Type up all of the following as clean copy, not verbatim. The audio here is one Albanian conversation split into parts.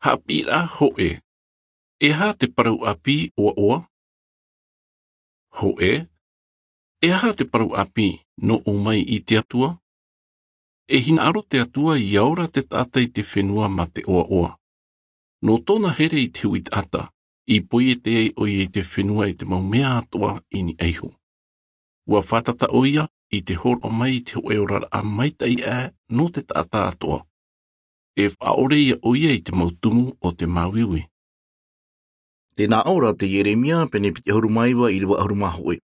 Hapira hoe. E aha te parau api oaoa? Hoe. E aha te parau api no o mai i te Atua? E hina aro te Atua i aora te tata i te whenua ma te oaoa. No tōna here i te hui tata, i poie te ei oia i te whenua i te mau mea atoa i ni eiho. Ua whatata oia i te horo mai i te hoe ora a maitai e no te tata atoa. E whaore ia oia i te mautumu o te māuiui. Tēnā ora te Ieremia pene piti ahuru maiwa i rewa ahuru mahoe.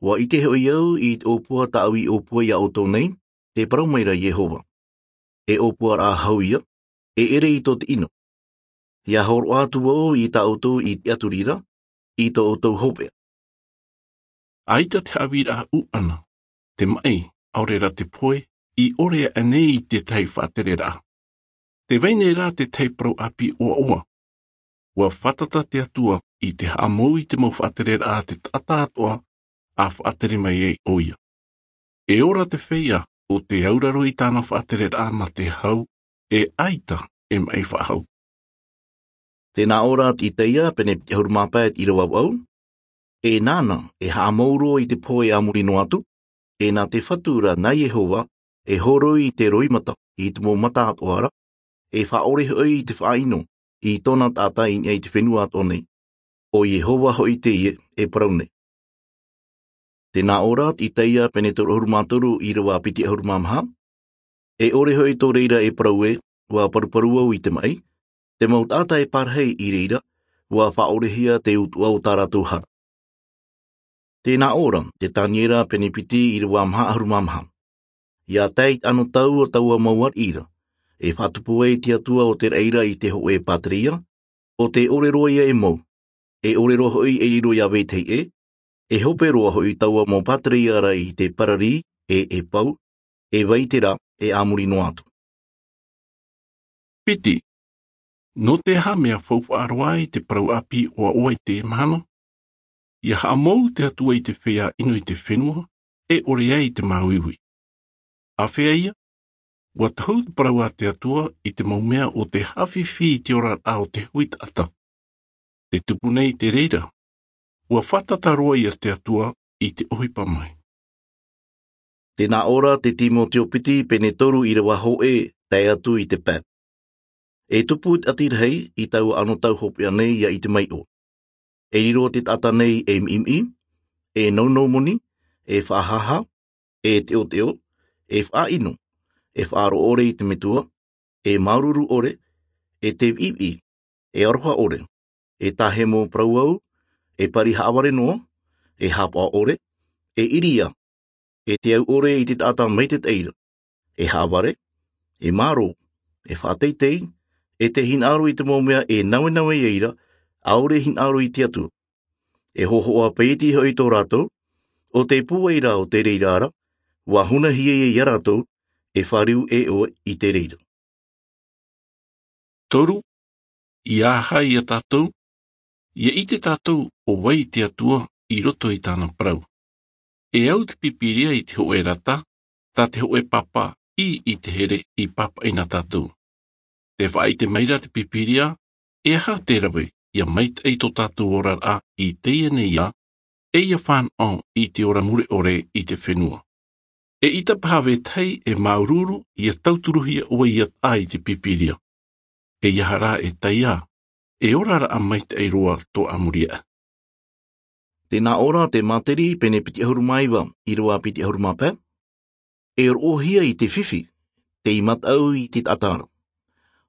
Wa i te hoi au i te opua tāu i opua ia o tō nei, te parau mai ra Iehova. E opua rā hau ia, e ere i tō te ino. Ia horo atu au i tā outou i te aturira, i tō outou hopea. Aita te awira u ana, te mai, aore ra te poe, i ore anei i te tei whātere rā. Te veine rā te tei parau api oaoa. Ua whatata te Atua i te haamou i te mau whātere rā te tata atoa a whātere mai ei oia. E ora te wheia o te auraro i tāna whātere rā ma te hau e aita e mai whahau. Tēnā ora i teia pene te huru māpēt i rawa au. E nāna e hāmouro i te poe a muri no atu, e nā te whatura nā Iehova e horoi i te roimata i te mō mata atoara, e whaore hoi i te whaino i tōna tātai i te whenua ato nei. O Iehova hoi te ie e parau nei. Tēnā ora i teia pene toro huru mātoru i rawa piti ahuru māmaha. E ore hoi tō reira e parau e, wā paruparu au i te mai, te mau tātai parhei i reira, wā whaorehia te utua o tā rātou hara. Tēnā ora, te tāniera penepiti i rawa maha ahuru māmaha. Ia tei ano tau o taua mauar ira, e whatupu e te atua o te reira i te ho e patria, o te orero ia e mou, e orero hoi e riro ia wetei e, e hope roa hoi taua mō patria ra i te parari e e pau, e waitera e amuri no atu. Piti, no te aha mea whauwhaaroa i te parau api oa oa i te mahana? Ia haamou te atua i te whea ino i te whenua, e ore ai te māuiui. A whea ia? Ua tahu te parau a te atua i te maumea o te hawhiwhi i te ora a o te hui tata. Te tupu nei te reira. Ua whatata roa ia te atua i te ohipa mai. Tēnā ora te Timoteo piti pene toru i rawa hoe tae atu i te pap. E tupu atirhei i taua ano tau hopea nei ia i te mai o. E riro te tata nei e miimi, e naunou moni, e whahaha, e teo teo, e whaino, e whaaro ore i te metua, e maururu ore, e te iwi, e aroha ore, e tahemo parauau, e pari haaware noa, e hapa ore, e iria, e te au ore i te tata mei te teira, e haaware, e maro, e whāteitei, e te hinaro i te mōmea e nawe nawe eira, aore hinaro i te atua. E hohoa peiti hoi tō rātou, o te pueira o te reira ara, wā huna hia i a rātou, e whariu e o i te reira. Toru, i aha i a tātou, ia i te tātou o wai te atua i roto i tāna parau. E au te pipiria i te hoe rata, tā te hoe papa i i te here i papa ina tātou. Te whai te meira te pipiria, e aha te rawe ia meit ei tō tātou ora a i te ia nei ia, e ia whanau i te ora mure ore i te whenua. E ita pahave tei e maururu ia tauturuhia o ia ai te pipiria. E ia hara e taia, e ora ra a meit ei roa tō amuria. Tēnā ora te materi pene piti ahuru maiwa i roa piti ahuru mapē. E rohia i te whiwhi, te i matau i te atara.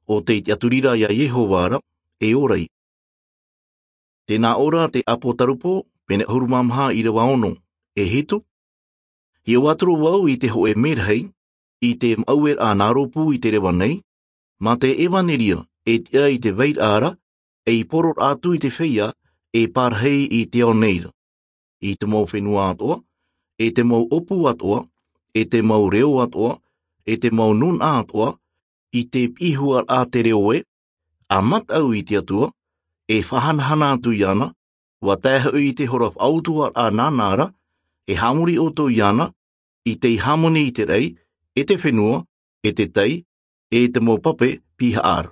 O te te aturira ia Iehova ara, e ora i. Tēnā ora te apo tarupo, pene ahuru mamha i rawa ono, e hitu. I o atoro wau i te hoe merhei, i te mauer a nāropu i te rewa nei, mā te evaneria e tia i te veir ara, e i poror atu i te wheia, e parhei i te ao neira. I te mau whenua atoa, e te mau opu atoa, e te mau reo atoa, e te mau nun atoa, i te ihua a te reo e, a matau i te atua, e whahanahana atu i ana, wa taeha i te hora autua a nānāra, e hamuri o tō i ana, i te hamoni i te rei, e te whenua, e te tei, e te mō pape piha ara.